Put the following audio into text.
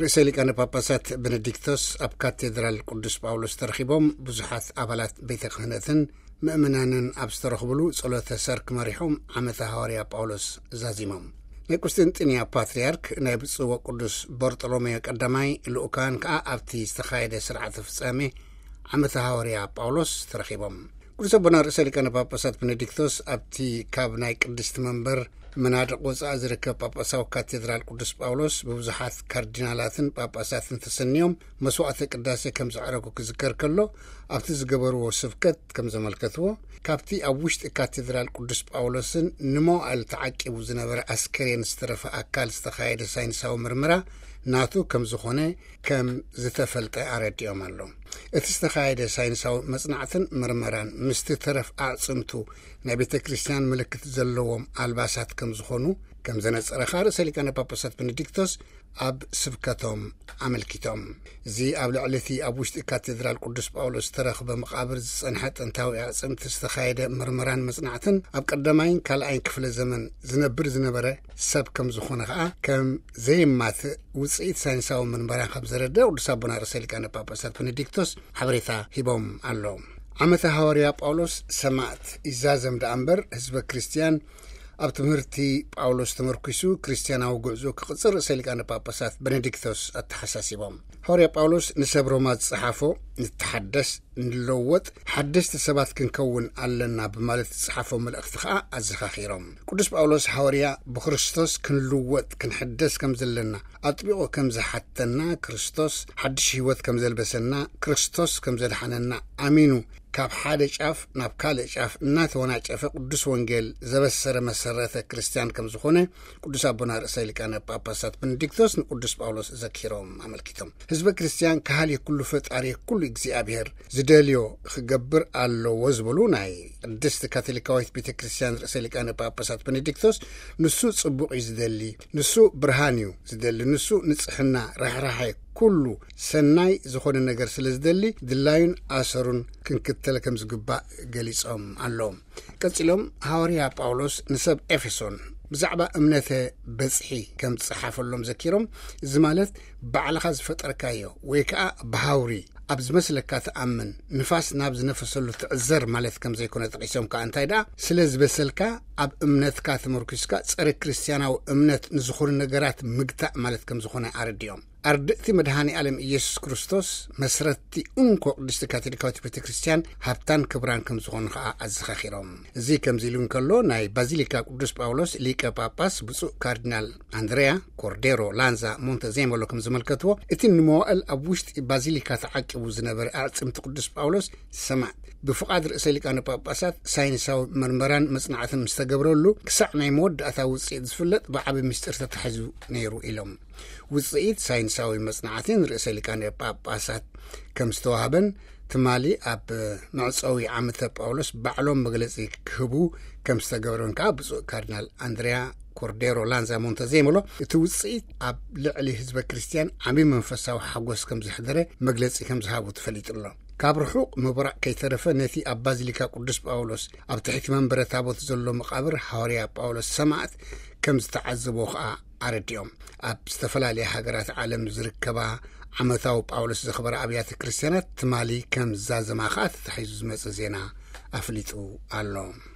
ርእሰ ሊቃነ ጳጳሳት ቤኔዲክቶስ ኣብ ካቴድራል ቅዱስ ጳውሎስ ተረኺቦም ብዙሓት ኣባላት ቤተ ክህነትን ምእመናንን ኣብ ዝተረኽብሉ ጸሎተ ሰርክ መሪሖም ዓመተ ሃዋርያ ጳውሎስ ዛዚሞም። ናይ ቁስጥንጥንያ ፓትርያርክ ናይ ብፁዕ ወቅዱስ በርጦሎሜዮ ቀዳማይ ልኡካን ከኣ ኣብቲ ዝተኻየደ ስርዓተ ፍጻሜ ዓመተ ሃዋርያ ጳውሎስ ተረኺቦም። ቅዱስ ኣቦና ርእሰ ሊቃነ ጳጳሳት ቤኔዲክቶስ ኣብቲ ካብ ናይ ቅድስቲ መንበር መናድቕ ወጻኢ ዝርከብ ጳጳሳዊ ካቴድራል ቅዱስ ጳውሎስ ብብዙሓት ካርዲናላትን ጳጳሳትን ተሰንዮም መስዋዕተ ቅዳሴ ከም ዘዕረጉ ክዝከር ከሎ፣ ኣብቲ ዝገበርዎ ስብከት ከም ዘመልከትዎ፣ ካብቲ ኣብ ውሽጢ ካቴድራል ቅዱስ ጳውሎስን ንመዋእል ተዓቂቡ ዝነበረ ኣስከሬን ዝተረፈ ኣካል ዝተኻየደ ሳይንሳዊ ምርመራ ናቱ ከም ዝኾነ ከም ዝተፈልጠ ኣረዲኦም ኣሎ። እቲ ዝተኻየደ ሳይንሳዊ መጽናዕትን ምርመራን ምስቲ ተረፍ ኣዕጽምቱ ናይ ቤተ ክርስቲያን ምልክት ዘለዎም ኣልባሳት ከም ዝኾኑ ከም ዘነጸረ ርእሰ ሊቃነ ጳጳሳት ቤኔዲክቶስ ኣብ ስብከቶም ኣመልኪቶም። እዚ ኣብ ልዕሊ እቲ ኣብ ውሽጢ ካቴድራል ቅዱስ ጳውሎስ ዝተረኽበ መቓብር ዝጸንሐ ጥንታዊ ኣዕጽምቲ ዝተኻየደ ምርመራን መጽናዕትን ኣብ ቀዳማይን ካልኣይን ክፍለ ዘመን ዝነብር ዝነበረ ሰብ ከም ዝኾነ ከኣ ከም ዘየማትእ ውጽኢት ሳይንሳዊ ምርመራ ከም ዘረደ ቅዱስ ኣቦና ርእሰ ሊቃነ ጳጳሳት ቤኔዲክቶስ ሓበሬታ ሂቦም ኣሎ። ዓመተ ሃዋርያ ጳውሎስ ሰማዕት ይዛዘም ደኣ እምበር፣ ህዝበ ክርስቲያን ኣብ ትምህርቲ ጳውሎስ ተመርኪሱ ክርስቲያናዊ ጉዕዞ ክቕጽል ርእሰ ሊቃነ ጳጳሳት ቤኔዲክቶስ ኣተሓሳሲቦም። ሃዋርያ ጳውሎስ ንሰብ ሮማ ዝጸሓፎ፣ "ንተሓደስ፣ ንለወጥ፣ ሓደስቲ ሰባት ክንከውን ኣለና" ብማለት ዝጸሓፎ መልእኽቲ ከኣ ኣዘኻኺሮም። ቅዱስ ጳውሎስ ሃዋርያ ብክርስቶስ ክንልወጥ፣ ክንሕደስ ከም ዘለና ኣጥቢቑ ከም ዝሓተና፣ ክርስቶስ ሓድሽ ህይወት ከም ዘልበሰና፣ ክርስቶስ ከም ዘድሓነና ኣሚኑ ካብ ሓደ ጫፍ ናብ ካልእ ጫፍ እናተወናጨፈ ቅዱስ ወንጌል ዘበሰረ መሰረተ ክርስቲያን ከም ዝኾነ ቅዱስ ኣቦና ርእሰ ሊቃነ ጳጳሳት ቤኔዲክቶስ ንቅዱስ ጳውሎስ ዘኪሮም ኣመልኪቶም። ህዝበ ክርስቲያን ካህልየ ኩሉ ፈጣሪ ኩሉ እግዚኣብሔር ዝደልዮ ክገብር ኣለዎ ዝበሉ ናይ ቅድስት ካቶሊካዊት ቤተ ክርስቲያን ርእሰ ሊቃነ ጳጳሳት ቤኔዲክቶስ፣ ንሱ ጽቡቕ እዩ ዝደሊ፣ ንሱ ብርሃን እዩ ዝደሊ፣ ንሱ ንጽሕና፣ ርሕራሐ፣ ኩሉ ሰናይ ዝኾነ ነገር ስለ ዝደሊ ድላዩን ኣሰሩን ክንክተል ከም ዝግባእ ገሊጾም ኣለዉ። ቀጺሎም ሃዋርያ ጳውሎስ ንሰብ ኤፌሶን ብዛዕባ እምነተ በጽሒ ከም ዝጸሓፈሎም ዘኪሮም፣ እዚ ማለት ባዕልኻ ዝፈጠርካዮ ወይ ከኣ ብሃውሪ ኣብ ዝመስለካ ትኣምን፣ ንፋስ ናብ ዝነፈሰሉ ትዕዘር ማለት ከም ዘይኮነ ጠቒሶም ከኣ እንታይ ደኣ ስለ ዝበሰልካ ኣብ እምነትካ ተመርኪስካ ጸረ ክርስትያናዊ እምነት ንዝኾኑ ነገራት ምግታእ ማለት ከም ዝኾነ ኣረዲኦም። ኣርድእቲ መድሃኒ ዓለም ኢየሱስ ክርስቶስ መስረትቲ እንኮ ቅድስቲ ካቶሊካዊት ቤተ ክርስቲያን ሃብታን ክብራን ከም ዝኾኑ ከኣ ኣዘኻኺሮም። እዚ ከምዚ ኢሉ እንከሎ ናይ ባዚሊካ ቅዱስ ጳውሎስ ሊቀ ጳጳስ ብፁዕ ካርዲናል ኣንድሬያ ኮርዴሮ ላንዛ ሞንተዜሞሎ ከም ዝመልከትዎ፣ እቲ ንመዋእል ኣብ ውሽጢ ባዚሊካ ተዓቂቡ ዝነበረ ኣዕጽምቲ ቅዱስ ጳውሎስ ሰማዕት ብፍቓድ ርእሰ ሊቃነ ጳጳሳት ሳይንሳዊ መርመራን መጽናዕትን ምስ ተገብረሉ ክሳዕ ናይ መወዳእታ ውጽኢት ዝፍለጥ ብዓቢ ምስጢር ተታሒዙ ነይሩ ኢሎም። ውጽኢት ሳይንሳዊ መጽናዕቲ ንርእሰ ሊቃነ ጳጳሳት ከም ዝተዋህበን ትማሊ ኣብ መዕጸዊ ዓመተ ጳውሎስ ባዕሎም መግለጺ ክህቡ ከም ዝተገብረን ከኣ ብፁዕ ካርዲናል ኣንድሪያ ኮርዴሮ ላንዛ ሞንተዜሞሎ እቲ ውጽኢት ኣብ ልዕሊ ህዝበ ክርስቲያን ዓቢ መንፈሳዊ ሓጎስ ከም ዘሕደረ መግለጺ ከም ዝሃቡ ተፈሊጡ ኣሎ። ካብ ርሑቕ ምብራቕ ከይተረፈ ነቲ ኣብ ባዚሊካ ቅዱስ ጳውሎስ ኣብ ትሕቲ መንበረ ታቦት ዘሎ መቓብር ሃዋርያ ጳውሎስ ሰማዕት ከም ዝተዓዘቦ ከኣ ኣረዲኦም። ኣብ ዝተፈላለያ ሃገራት ዓለም ዝርከባ ዓመታዊ ጳውሎስ ዘኽበራ ኣብያተ ክርስቲያናት ትማሊ ከም ዝዛዘማ ከኣ ተታሒዙ ዝመጸ ዜና ኣፍሊጡ ኣሎ።